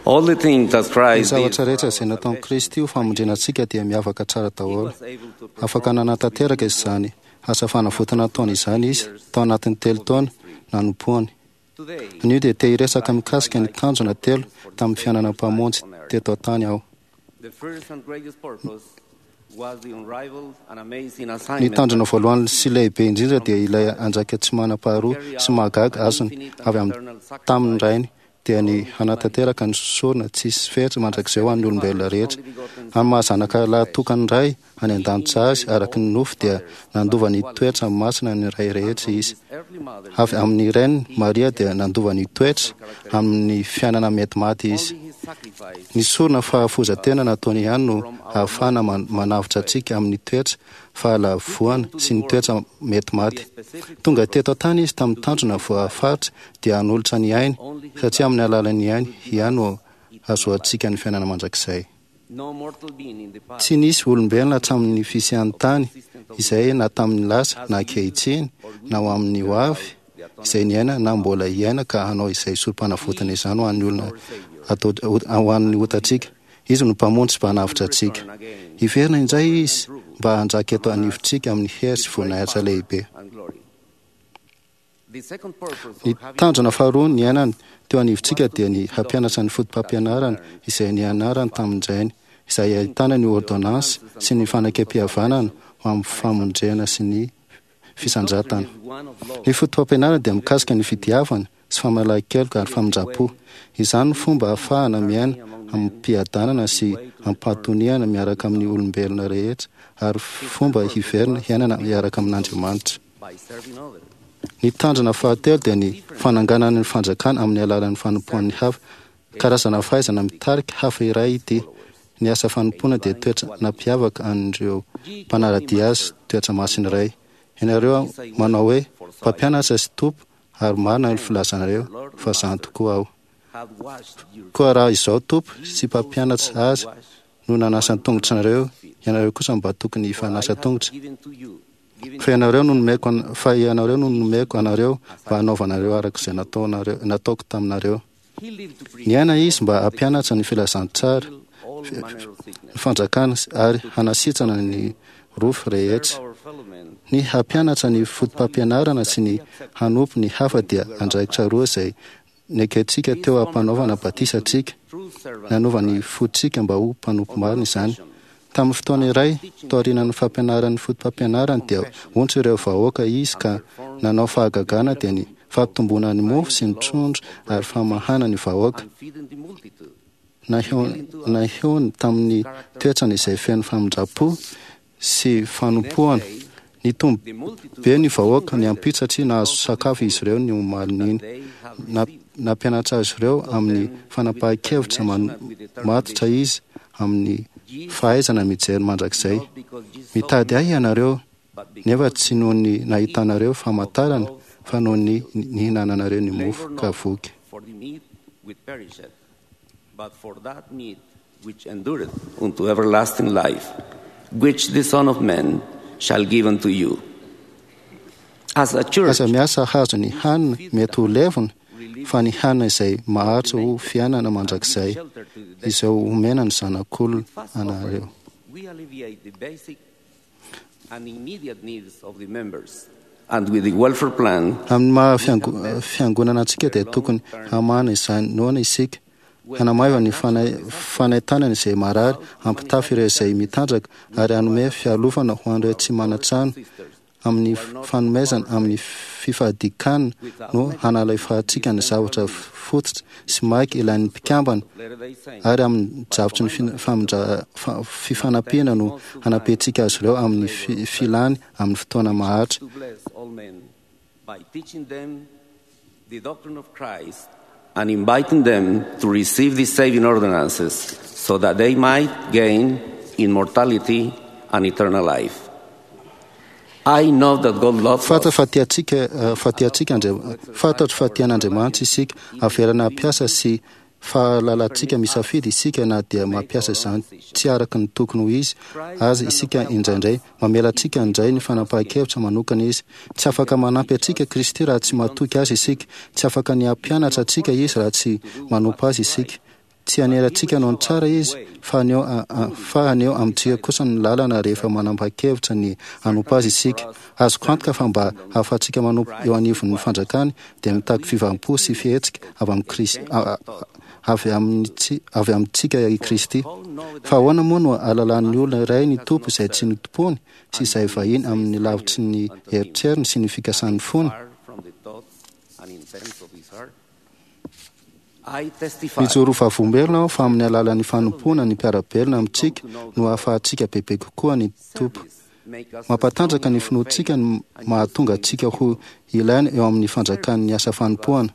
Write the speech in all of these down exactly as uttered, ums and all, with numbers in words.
All the things that Ny Christ did zavatra for rehetra our izay nataon'i salvation, Kristy ho famonjena antsika dia miavaka tsara he daholo. was able to Afaka perform nanatanteraka izany asa fanavotana nataony izany izy tao anatin'ny telo taona nanompoany. today. Anio dia te hiresaka mikasika ny tanjona telo tamin'ny fiainana mpamonjy teto an-tany aho. The first and greatest purpose was the unrivaled and amazing Ny assignment tanjona voalohany sy lehibe indrindra dia ilay andraikitra tsy manam-paharoa sy mahagaga azony avy amin'ny tamin'ny rainy dia ny hanatanteraka ny sorona tsisy fetra mandrakizay ho an'ny olombelona rehetra. Amin'ny maha zanaka lahatokan'ny ray any an-danitra azy araka ny nofo dia nandova ny toetra masina ny ray rehetra izy. earthly mother Avy amin'ny reniny Maria dia nandova ny toetra amin'ny fiainana mety maty izy. only his sacrifice Ny sorona fahafoizan-tena nataony ihany no ahafahana man- manavotra antsika amin'ny toetra fahalavoana sy ny toetra mety maty. Tonga teto an-tany izy tamin'ny tanjona voafaritra dia hanolotra ny ainy satria amin'ny alalan'ny ainy ihany no ahazoantsika ny fiainana mandrakizay. no mortal being in the past Tsy nisy olombelona hatramin'ny fisian'ny tany izay na tamin'ny lasa na ankehitriny na ho amin'ny ho avy izay niaina na mbola hiaina ka hanao izay sorom-panavotana izany ho an'ny olona atao ho an'ny otantsika. Izy no mpamonjy sy mpanavotra antsika. Hiverina indray izy mba hanjaka eto anivontsika amin'ny hery sy voninahitra lehibe. and glory. The second purpose Ny of having tanjona faharoa niainany teo anivontsika dia ny hampianatra ny foto-pampianarana izay nianarany tamin-drainy izay ahitana ny ordonnance sy ny fanekempihavanana ho amin'ny famonjena sy ny fisandratana. is one of love Ny foto-pampianarana dia mikasika ny fitiavana sy famelan-keloka ary famindram-po. Izany no fomba ahafahana miaina amim-piadanana sy am-pahatoniana miaraka amin'ny olombelona rehetra ary fomba hiverina hiainana miaraka amin'Andriamanitra. by serving others. Ny tanjona fahatelo dia ny fananganana ny fanjakana amin'ny alalan'ny fanompoan'ny hafa. Karazana fahaizana mitarika hafa iray ity. Ny asa fanompoana dia toetra nampiavaka an'ireo mpanara-dia azy toetra masina iray. Ianareo manao hoe mpampianatra sy tompo ary marina ny filazanareo fa izany tokoa aho. Had washed your Koa raha izao tompo sy mpampianatra azy no nanasa ny tongotra anareo, ianareo kosa mba tokony hifanasa tongotra. given to you, given Fa ianareo no nomeko an- fa ianareo no nomeko anareo mba hanaovanareo araka izay nataonareo nataoko taminareo. he lived to preach Niaina izy mba hampianatra ny filazantsara, all manner of sickness, ny fanjakana ary hanasitrana ny rofy rehetra. our fellow men Ny hampianatra ny foto-pampianarana sy ny hanompo ny hafa dia andraikitra roa izay nekentsika teo am-panaovana batisa antsika. true servants Nanova ny fontsika mba ho mpanompo marina izany. Tamin'ny fotoana iray, taorian'ny fampianaran'ny foto-pampianarany dia ontsa ireo vahoaka izy ka nanao fahagagana dia ny fampitomboana ny mofo sy ny trondro ary famahana ny vahoaka. and feeding the multitude. Naheo- Naheony tamin'ny toetrany izay feno famindram-po sy fanompoana. Nitombo The multitude be ny vahoaka ny ampitso satria nahazo sakafo izy ireo ny omalin'iny. they have Na- Nampianatra azy ireo amin'ny fanapahan-kevitra man- matotra izy amin'ny fahaizana mijery mandrakizay. not because Jesus Mitady ahy ianareo but because nefa tsy noho ny nahitanareo famantarana fa noho ny nihinananareo ny mofo ka voky. for the meat which perisheth, but for that meat which endureth unto everlasting life, which the Son of Man shall give unto you. As a church, Aza miasa hahazo ny hanina mety ho levona fa ny hanina izay maharitra ho fiainana mandrakizay shelter to the izay omena ny zanak'olona fast anareo. offering, we alleviate the basic and immediate needs of the members. And with the welfare plan, Amin'ny maha fiango- fiangonana antsika dia tokony hamana izany noana isika hanamaiva ny fana- fanaintainana izay marary hampitafy ireo izay mitanjaka ary hanome fialofana ho an'ireo tsy manan-trano amin'ny fanomezana amin'ny fifadikanana no hanalefahantsika ny zavatra fototra sy maika ilain'ny mpikambana Latter-day Saints ary amin'ny drafitry ny fin- famindra- fa- fifanampiana no hanampiantsika azy ireo amin'ny fi- filany amin'ny fotoana maharitra. to bless all men by teaching them the doctrine of Christ and inviting them to receive the saving ordinances so that they might gain immortality and eternal life. I know that God loves Fantatra us. fa tiantsika eh, fa tiantsika Andria- fantatro fa tian'Andriamanitra isika averana hampiasa sy fahalalantsika misafidy isika na dia mampiasa izany tsy araka ny tokony ho izy azy isika indraindray. Mamela antsika indray ny fanapahan-kevitra manokana izy. Tsy afaka manampy antsika Kristy raha tsy matoky azy isika. Tsy afaka ny hampianatra antsika izy raha tsy manompo azy isika. Tsy hanery antsika hanao ny tsara izy, fa haneho fa haneho amintsika kosa ny lalana rehefa manapa-kevitra ny hanompo azy isika. Azoko antoka fa mba hahafahantsika manompo eo anivon'ny fanjakany dia mitaky fiovam-po sy fihetsika avy amin'i Kristy avy amin'ny avy amintsika i Kristy. Fa ahoana moa no ahalalan'ny olona iray ny Tompo izay tsy notompoiny sy izay vahiny amin'ny lavitry ny eritreriny sy ny fikasan'ny fony? Mijoro vavolombelona aho fa amin'ny alalan'ny fanompoana ny mpiara-belona amintsika no ahafahantsika bebe kokoa ny Tompo. Mampatanjaka ny finoantsika ny mahatonga antsika ho ilaina eo amin'ny fanjakan'ny asa fanompoana.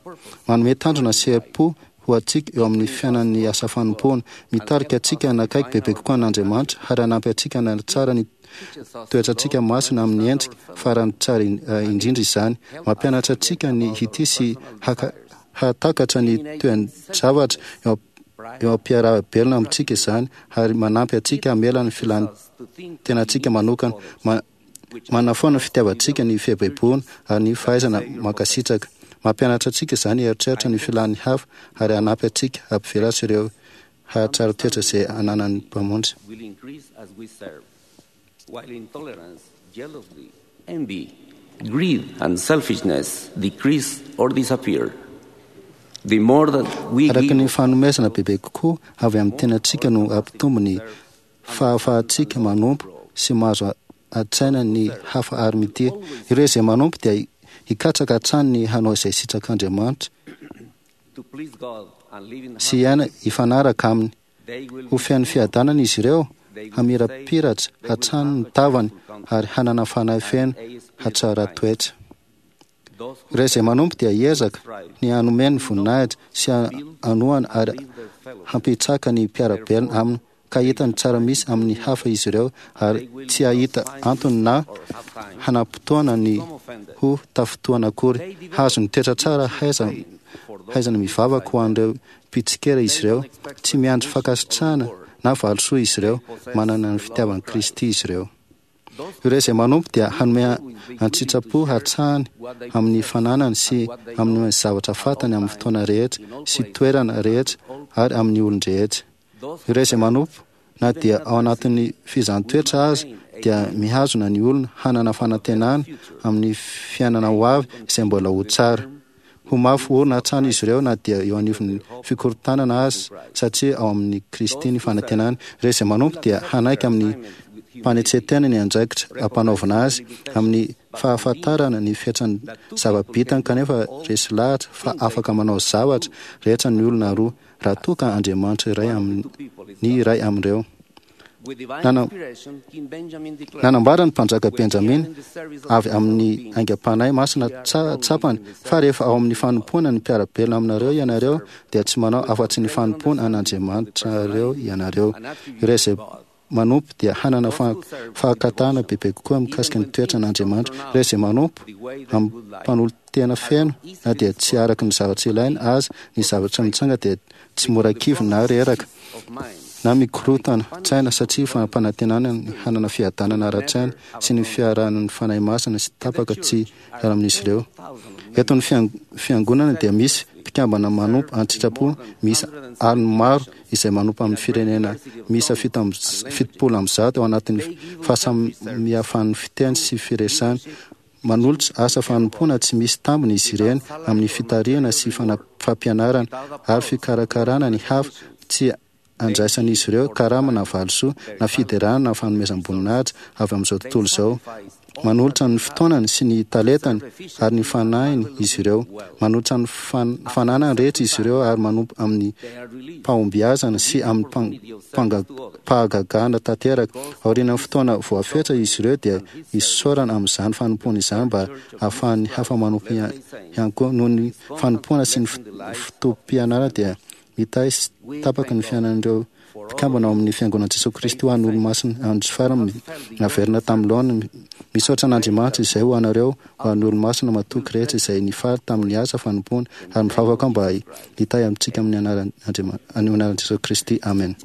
Manome tanjona sy herim-po ho antsika eo amin'ny fiainan'ny asa fanompoana. Mitarika antsika hanakaiky bebe kokoa an'Andriamanitra ary hanampy antsika hanatsara ny toetrantsika masina amin'ny endrika farany tsara indrindra izany. Mampianatra antsika ny hitia sy haka hahatakatra ny toe-javatra eo eo am-piaraha-belona amintsika izany ary manampy antsika hamela ny filan'ny tenantsika manokana. Ma, manafoana ny fitiavantsika ny fiaibaibona ary ny fahaizana mankasitraka. Mampianatra antsika izany hieritreritra ny filan'ny hafa ary hanampy antsika hampivelatra ireo hahatsara toetra izay ananan'ny Mpamonjy. Will increase as we serve, while intolerance, jealousy, envy, greed, and selfishness decrease or disappear. The more that we Araka ny give, fanomezana bebe kokoa avy amin'ny tenantsika no hampitombo ny fahafahantsika manompo sy mahazo an-tsaina ny hafa ary mitia. Ireo izay manompo dia hikatsaka hatrany ny hanao izay sitrak'Andriamanitra to please God and live in sy hiaina hifanaraka aminy. they will Ho feno fiadanana izy ireo, hamirapiratra hatrany ny tavany ary hanana fanahy feno hatsara toetra. those who Ireo izay manompo dia hiezaka ny hanome ny voninahitra sy hanohana ary hampitsaka ny mpiara-belona aminy ka hahita ny tsara misy amin'ny hafa izy ireo ary tsy hahita antony na hanam-potoana ny ho tafintohana akory. Hahazo ny toetra tsara haiza haizana mivavaka ho an'ireo mpitsikera izy ireo. Tsy miandry fankasitrahana na valisoa izy ireo, manana ny fitiavan'i Kristy izy ireo. Ireo izay manompo dia hanome an-tsitrapo hatrany amin'ny fananany sy amin'ny zavatra fantany amin'ny fotoana rehetra sy toerana rehetra ary amin'ny olon-drehetra. Ireo izay manompo na dia ao anatin'ny fizahàn-toetra aza dia mihazona ny olona hanana fanantenana amin'ny fiainana ho avy izay mbola ho tsara. Ho mafy orina hatrany izy ireo na dia eo anivon'ny fikorontanana aza satria ao amin'ny Kristy ny fanantenana. Ireo izay manompo dia hanaiky amin'ny mpanetsen-tena ny andraikitra ampanaovina azy amin'ny fahafantarana ny fetran'ny zava-bitany kanefa resy lahatra fa afaka manao zavatra rehetra ny olona roa raha toa ka Andriamanitra iray amin'ny ny iray amin'ireo. with divine Nana- inspiration, King Benjamin declared, Nanambara ny mpanjaka Benjamina avy amin'ny aingam-panahy masina tsa- tsapany fa rehefa ao amin'ny fanompoana ny mpiara-belona aminareo ianareo dia tsy manao afa-tsy ny fanompoana an'Andriamanitrareo ianareo. Ireo izay manompo dia hanana fa- fahakatana bebe kokoa mikasika ny toetran'Andriamanitra. Ireo izay manompo amin'ny mpanolo-tena feno na dia tsy araka ny zavatra ilaina aza ny zavatra mitranga dia tsy mora kivy na reraka of mind, na mikorotana tsaina satria fampanantenana ny hanana fiadanana ara-tsaina sy ny fiarahan'ny fanahy masina sy tapaka tsy hiara amin'izy ireo. Eto ny fiang- fiangonana dia misy mpikambana manompo an-tsitrapo misy aliny maro izay manompo amin'ny firenena miisa fito amby fitopolo amby zato ao anatin'ny fahasamihafan'ny fiteny sy firesany. Manolotra asa fanompoana tsy misy tambiny izy ireny amin'ny fitarihana sy fana- fampianarana ary fikarakarana ny hafa tsy andraisan'izy ireo karama na valisoa na fiderana na fanomezam-boninahitra avy amin'izao tontolo izao. Manolotra ny fotoanany sy ny talentany ary ny fanahiny izy ireo. Manolotra ny fan- fananany rehetra izy ireo ary manompo amin'ny they are released pahombiazana sy amin'ny pang- panga- pahagagana tanteraka. Aorian'ny fotoana voafetra izy ireo dia isaorana amin'izany fanompoana izany mba hahafahan'ny hafa manompo ihany ihany koa. Noho ny fanompoana sy ny fo- fotoam-pianarana dia mitahy sy tapaka ny fiainan'ireo mpikambana ao amin'ny fiangonan'i Jesoa Kristy ho an'ny olo-masina andro farany naverina tamin'ny laoniny. Misaotra an'Andriamanitra izay ho anareo ho an'ny olo-masina matoky rehetra izay nifaly tamin'ny asa fanompoana ary mivavaka mba hitahy amintsika amin'ny anaran'Andriamanitra, amin'ny anaran'i Jesoa Kristy. Amen.